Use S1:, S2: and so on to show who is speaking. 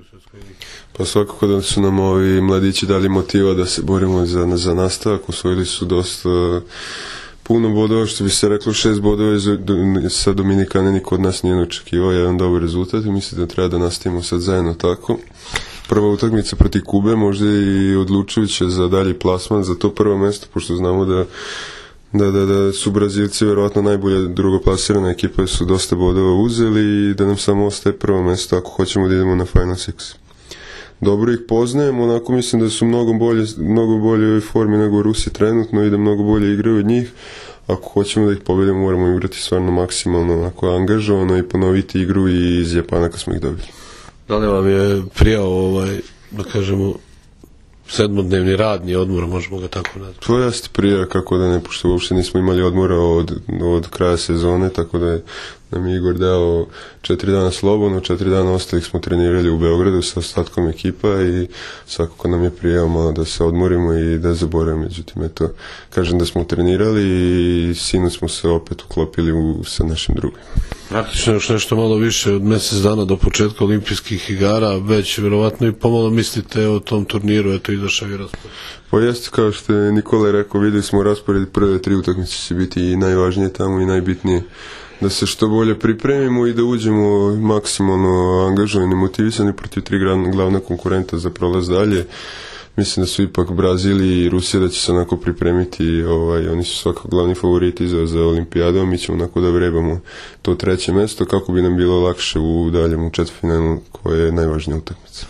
S1: svjetskoj ligi?
S2: Pa svakako da su nam ovi mladići dali motiva da se borimo za nastavak. Osvojili su dosta puno bodova, što bi se reklo 6 bodova sa Dominikane niko od nas nije očekivao, jedan dobar rezultat i mislim da treba da nastavimo sad zajedno tako. Prva utakmica protiv Kube, možda i odlučujuća za dalji plasman, za to prvo mesto, pošto znamo da su Brazilci verovatno najbolje drugoplasirana ekipa, su dosta bodova uzeli i da nam samo ostaje prvo mesto ako hoćemo da idemo na Final Six. Dobro ih poznajem, onako mislim da su mnogo bolje u formi nego Rusi trenutno i da mnogo bolje igraju od njih. Ako hoćemo da ih pobedimo, moramo igrati stvarno maksimalno onako angažovano i ponoviti igru i iz Japana kad smo ih dobili.
S1: Da li vam je prijao da kažemo sedmodnevni radni odmor, možemo ga tako nazvati?
S2: To jeste prija, kako da ne, pošto uopšte nismo imali odmora od kraja sezone, tako da nam je Igor dao 4 dana slobodno, 4 dana ostalih smo trenirali u Beogradu sa ostatkom ekipa i svakako nam je prijao malo da se odmorimo i da zaboravimo. Međutim, eto, kažem da smo trenirali i sinoć smo se opet uklopili sa našim drugim.
S1: Praktično još nešto malo više od mjesec dana do početka olimpijskih igara, već vjerovatno i pomalo mislite o tom turniru, eto izašao i raspored.
S2: Pa jeste, kao što je Nikola rekao, vidjeli smo raspored, prve 3 utakmice će biti i najvažnije tamo i najbitnije da se što bolje pripremimo i da uđemo maksimalno angažovani, motivisani protiv 3 glavna konkurenta za prolaz dalje. Mislim da su ipak Brazil i Rusija da će se onako pripremiti, oni su svakako glavni favoriti za olimpijadu, a mi ćemo onako da vrebamo to 3. mjesto kako bi nam bilo lakše u daljem četvrtfinalu koje je najvažnija utakmica.